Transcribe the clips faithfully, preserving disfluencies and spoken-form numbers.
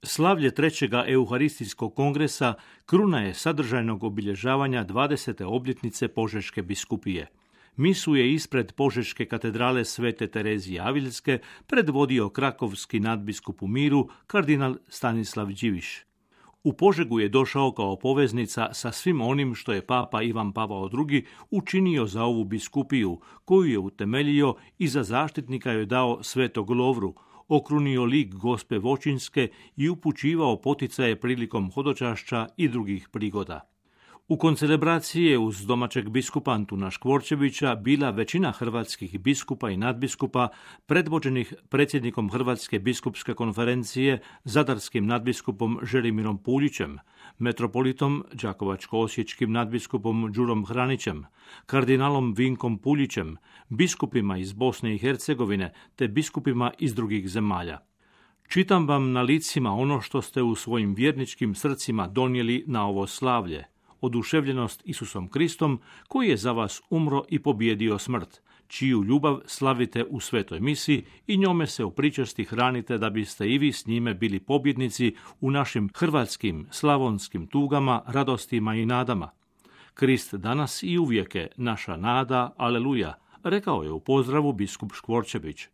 Slavlje trećega Euharistijskog kongresa kruna je sadržajnog obilježavanja dvadesete obljetnice Požeške biskupije. Misu je ispred Požeške katedrale Svete Terezije Aviljske predvodio krakovski nadbiskup u miru kardinal Stanislav Điviš. U Požegu je došao kao poveznica sa svim onim što je papa Ivan Pavao drugi učinio za ovu biskupiju, koju je utemeljio i za zaštitnika joj dao Svetog Lovru, okrunio lik Gospe Voćinske i upućivao poticaje prilikom hodočašća i drugih prigoda. U koncelebraciji je uz domaćeg biskupa Antuna Škvorčevića bila većina hrvatskih biskupa i nadbiskupa predvođenih predsjednikom Hrvatske biskupske konferencije, zadarskim nadbiskupom Želimirom Puljićem, metropolitom đakovačko-osječkim nadbiskupom Đurom Hranićem, kardinalom Vinkom Puljićem, biskupima iz Bosne i Hercegovine te biskupima iz drugih zemalja. Čitam vam na licima ono što ste u svojim vjerničkim srcima donijeli na ovo slavlje, oduševljenost Isusom Kristom, koji je za vas umro i pobijedio smrt, čiju ljubav slavite u svetoj misi i njome se u pričasti hranite da biste i vi s njime bili pobjednici u našim hrvatskim, slavonskim tugama, radostima i nadama. Krist danas i uvijek je naša nada, aleluja, rekao je u pozdravu biskup Škvorčević.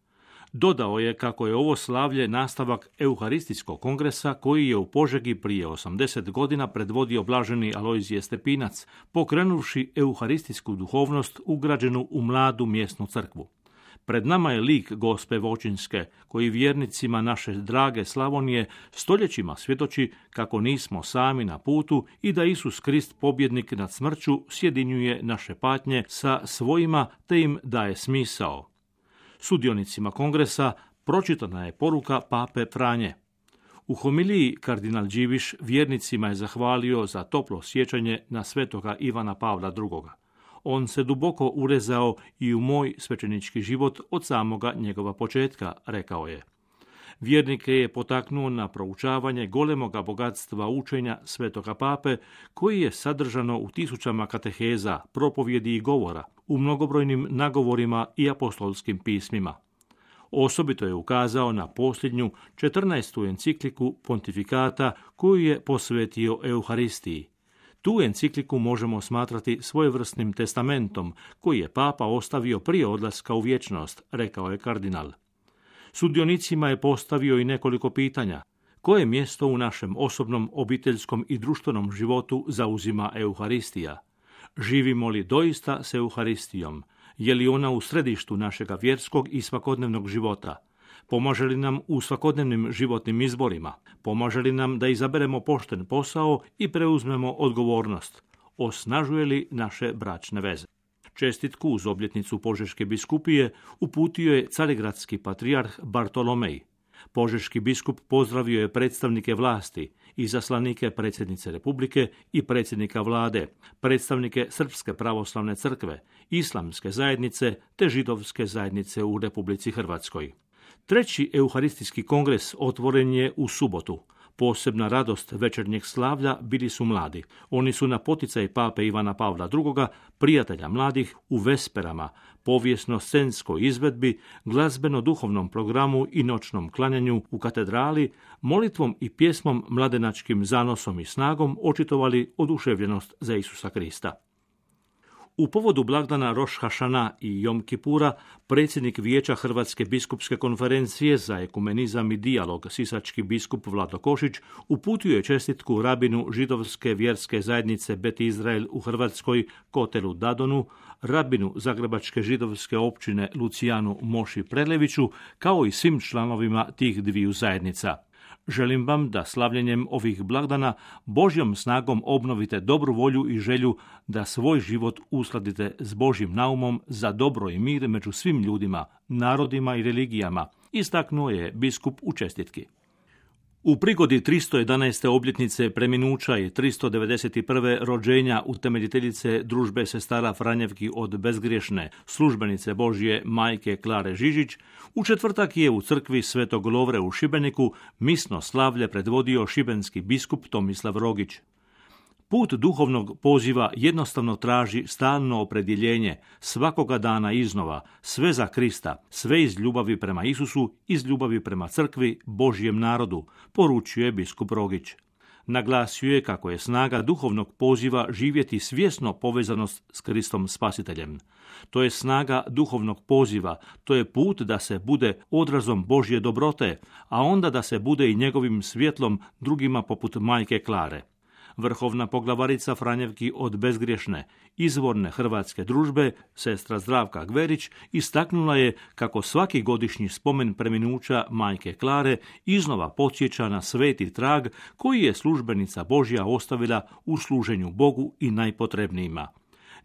Dodao je kako je ovo slavlje nastavak Euharistijskog kongresa koji je u Požegi prije osamdeset godina predvodio blaženi Alojzije Stepinac, pokrenuvši euharistijsku duhovnost ugrađenu u mladu mjesnu crkvu. Pred nama je lik Gospe Voćinske, koji vjernicima naše drage Slavonije stoljećima svjedoči kako nismo sami na putu i da Isus Krist, pobjednik nad smrću, sjedinjuje naše patnje sa svojima te im daje smisao. Sudionicima kongresa pročitana je poruka pape Franje. U homiliji kardinal Điviš vjernicima je zahvalio za toplo sjećanje na svetoga Ivana Pavla drugoga. On se duboko urezao i u moj svećenički život od samoga njegova početka, rekao je. Vjernike je potaknuo na proučavanje golemoga bogatstva učenja svetoga pape, koji je sadržano u tisućama kateheza, propovjedi i govora, u mnogobrojnim nagovorima i apostolskim pismima. Osobito je ukazao na posljednju četrnaestu encikliku pontifikata koju je posvetio Euharistiji. Tu encikliku možemo smatrati svojevrsnim testamentom koji je papa ostavio prije odlaska u vječnost, rekao je kardinal. Sudionicima je postavio i nekoliko pitanja. Koje mjesto u našem osobnom, obiteljskom i društvenom životu zauzima Euharistija? Živimo li doista s Euharistijom? Je li ona u središtu našega vjerskog i svakodnevnog života? Pomaže li nam u svakodnevnim životnim izborima? Pomaže li nam da izaberemo pošten posao i preuzmemo odgovornost? Osnažuje li naše bračne veze? Čestitku uz obljetnicu Požeške biskupije uputio je carigradski patrijarh Bartolomej. Požeški biskup pozdravio je predstavnike vlasti, izaslanike predsjednice Republike i predsjednika vlade, predstavnike Srpske pravoslavne crkve, islamske zajednice te židovske zajednice u Republici Hrvatskoj. Treći Euharistijski kongres otvoren je u subotu. Posebna radost večernjeg slavlja bili su mladi. Oni su na poticaj pape Ivana Pavla drugoga, prijatelja mladih, u vesperama, povijesno-scenskoj izvedbi, glazbeno-duhovnom programu i noćnom klanjanju u katedrali, molitvom i pjesmom, mladenačkim zanosom i snagom očitovali oduševljenost za Isusa Krista. U povodu blagdana Roš Hašana i Jom Kipura, predsjednik Vijeća Hrvatske biskupske konferencije za ekumenizam i dijalog, sisački biskup Vlado Košić, uputio je čestitku rabinu židovske vjerske zajednice Bet Izrael u Hrvatskoj Kotelu Dadonu, rabinu zagrebačke židovske općine Lucijanu Moši Preleviću, kao i svim članovima tih dviju zajednica. Želim vam da slavljenjem ovih blagdana Božjom snagom obnovite dobru volju i želju da svoj život uskladite s Božjim naumom za dobro i mir među svim ljudima, narodima i religijama, istaknuo je biskup u čestitki. U prigodi tristo jedanaeste obljetnice preminuća i tristo devedeset prve rođenja utemeljiteljice družbe sestara Franjevki od bezgriješne službenice Božje majke Klare Žižić, u četvrtak je u crkvi Svetog Lovre u Šibeniku misno slavlje predvodio šibenski biskup Tomislav Rogić. Put duhovnog poziva jednostavno traži stalno opredjeljenje, svakoga dana iznova, sve za Krista, sve iz ljubavi prema Isusu, iz ljubavi prema crkvi, Božjem narodu, poručuje biskup Rogić. Naglasio je kako je snaga duhovnog poziva živjeti svjesno povezanost s Kristom Spasiteljem. To je snaga duhovnog poziva, to je put da se bude odrazom Božje dobrote, a onda da se bude i njegovim svjetlom drugima poput majke Klare. Vrhovna poglavarica Franjevki od bezgriješne, izvorne hrvatske družbe, sestra Zdravka Gverić, istaknula je kako svaki godišnji spomen preminuća majke Klare iznova podsjeća na sveti trag koji je službenica Božja ostavila u služenju Bogu i najpotrebnijima.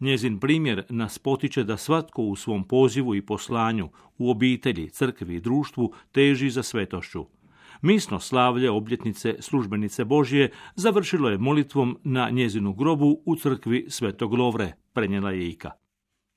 Njezin primjer nas potiče da svatko u svom pozivu i poslanju, u obitelji, crkvi i društvu teži za svetošću. Misno slavlje obljetnice službenice Božje završilo je molitvom na njezinu grobu u crkvi Svetog Lovre, prenijela je Ika.